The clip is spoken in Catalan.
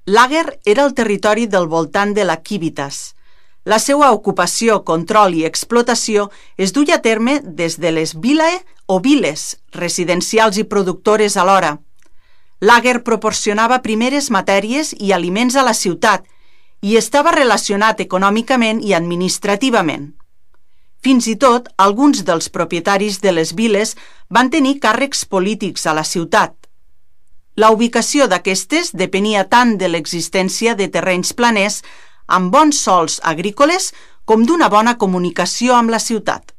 Lager era el territori del voltant de la Civitas. La seva ocupació, control i explotació es duia a terme des de les vilae o viles, residencials i productores alhora. Lager proporcionava primeres matèries i aliments a la ciutat i estava relacionat econòmicament i administrativament. Fins i tot, alguns dels propietaris de les viles van tenir càrrecs polítics a la ciutat. La ubicació d'aquestes depenia tant de l'existència de terrenys planers amb bons sòls agrícoles com d'una bona comunicació amb la ciutat.